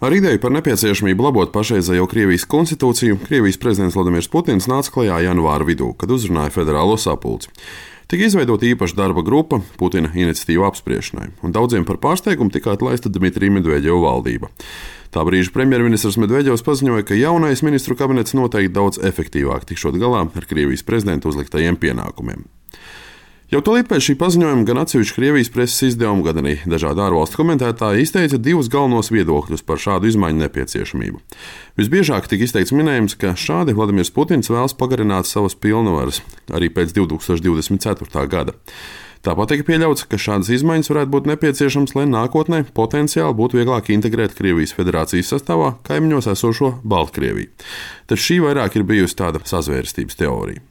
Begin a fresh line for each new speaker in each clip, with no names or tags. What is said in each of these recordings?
Ar ideju par nepieciešamību labot pašreizējo Krievijas konstitūciju Krievijas prezidents Vladimirs Putins nāca klajā janvāra vidū, kad uzrunāja federālo sapulci. Tika izveidota īpaša darba grupa Putina iniciatīvu apspriešanai, un daudziem par pārsteigumu tika atlaista Dmitrija Medvedeva valdība. Tā brīža premjerministrs Medvedevs paziņoja, ka jaunais ministru kabinets noteikti daudz efektīvāk tikšot galā ar Krievijas prezidenta uzliktajiem pienākumiem. Jau tūlīt pēc šī paziņojuma gan atsevišķi Krievijas preses izdevumi, gan arī dažādi ārvalstu komentētāji izteica divus galvenos viedokļus par šādu izmaiņu nepieciešamību. Visbiežāk tika izteikts minējums, ka šādi Vladimirs Putins vēlas pagarināt savas pilnvaras arī pēc 2024. gada. Tāpat tika pieļauts, ka šādas izmaiņas varētu būt nepieciešamas, lai nākotnē potenciāli būtu vieglāk integrēt Krievijas federācijas sastāvā kaimiņos esošo Baltkrieviju. Taču šī vairāk ir bijusi tāda sazvērstības teorija.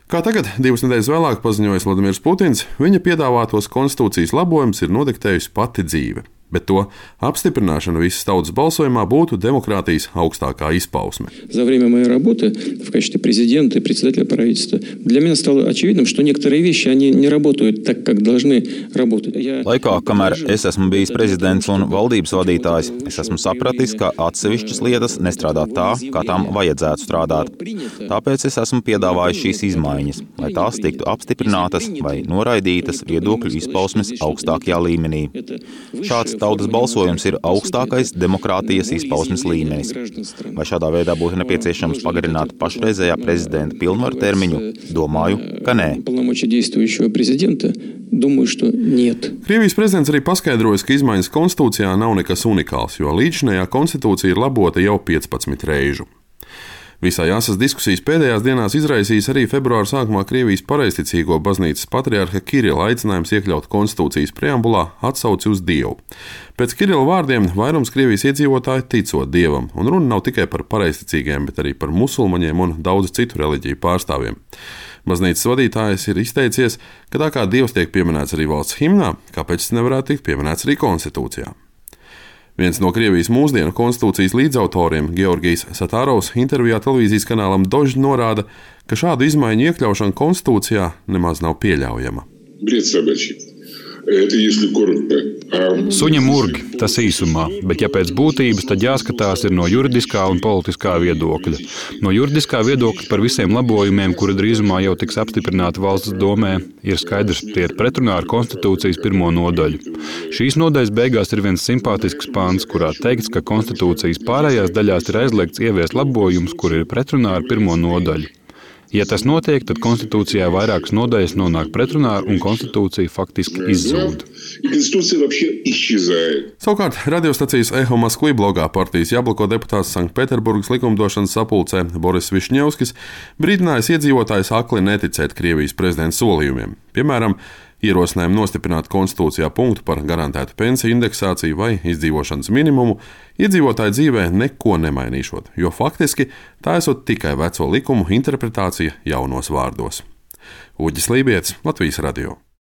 Kā tagad, 2 nedēļas vēlāk paziņojis Vladimirs Putins, viņa piedāvātos konstitūcijas labojumus ir nodiktējusi pati dzīve, bet to apstiprināšana visas tautas balsojumā būtu demokrātijas augstākā izpausme.
За время моей работы в качестве президента и председателя правительства для меня стало очевидным, что некоторые вещи они не работают так, как должны работать.
Laikā, kamēr es esmu bijis prezidents un valdības vadītājs, es esmu sapratis, ka atsevišķas lietas nestrādā tā, kā tām vajadzētu strādāt. Tāpēc es esmu piedāvājis šīs izmaiņas, lai tās tiktu apstiprinātas vai noraidītas viedokļu izpausmes augstākajā līmenī. Šāds tautas balsojums ir augstākais demokrātijas izpausmes līmenis. Vai šādā veidā būtu nepieciešams pagarināt pašreizējā prezidenta pilnvaru termiņu? Domāju, ka nē.
Krievijas prezidents arī paskaidroja, ka izmaiņas konstitūcijā nav nekas unikāls, jo līdzinējā konstitūcija ir labota jau 15 reižu. Visai asas diskusijas pēdējās dienās izraisīs arī februāra sākumā Krievijas pareizticīgo baznīcas patriarha Kirila aicinājums iekļaut konstitūcijas preambulā atsauci uz Dievu. Pēc Kirila vārdiem vairums Krievijas iedzīvotāji ticot Dievam, un runa nav tikai par pareizticīgiem, bet arī par musulmaņiem un daudzu citu reliģiju pārstāvjiem. Baznīcas vadītājs ir izteicies, ka tā kā Dievs tiek pieminēts arī valsts himnā, kāpēc tas nevarētu tikt pieminēts arī konstitūcijā. Viens no Krievijas mūsdienu konstitūcijas līdzautoriem, Georgijs Satārovs, intervijā televīzijas kanālam Dožd norāda, ka šādu izmaiņu iekļaušana konstitūcijā nemaz nav pieļaujama.
Suņa murgi, tas īsumā, bet ja pēc būtības, tad jāskatās ir no juridiskā un politiskā viedokļa. No juridiskā viedokļa par visiem labojumiem, kuri drīzumā jau tiks apstiprināti valsts domē, ir skaidrs, tie ir pretrunā ar konstitūcijas 1. nodaļu. Šīs nodaļas beigās ir viens simpātisks pants, kurā teikts, ka konstitūcijas pārējās daļās ir aizliegts ieviest labojumus, kuri ir pretrunā ar 1. nodaļu. Ja tas notiek, tad konstitūcijā vairākas nodaļas nonāk pretrunā un konstitūcija faktiski izzūd.
Savukārt, radiostacijas Eho Moskvī blogā partijas Jabloko deputāts Sanktpēterburgas likumdošanas sapulcē Boris Višņevskis brīdinājis iedzīvotājus akli neticēt Krievijas prezidenta solījumiem. Piemēram, ierosinājumu nostiprināt konstitūcijā punktu par garantētu pensiju indeksāciju vai izdzīvošanas minimumu iedzīvotāju dzīvē neko nemainīšot, jo faktiski tā esot tikai veco likumu interpretācija jaunos vārdos. Uģis Lībietis, Latvijas radio.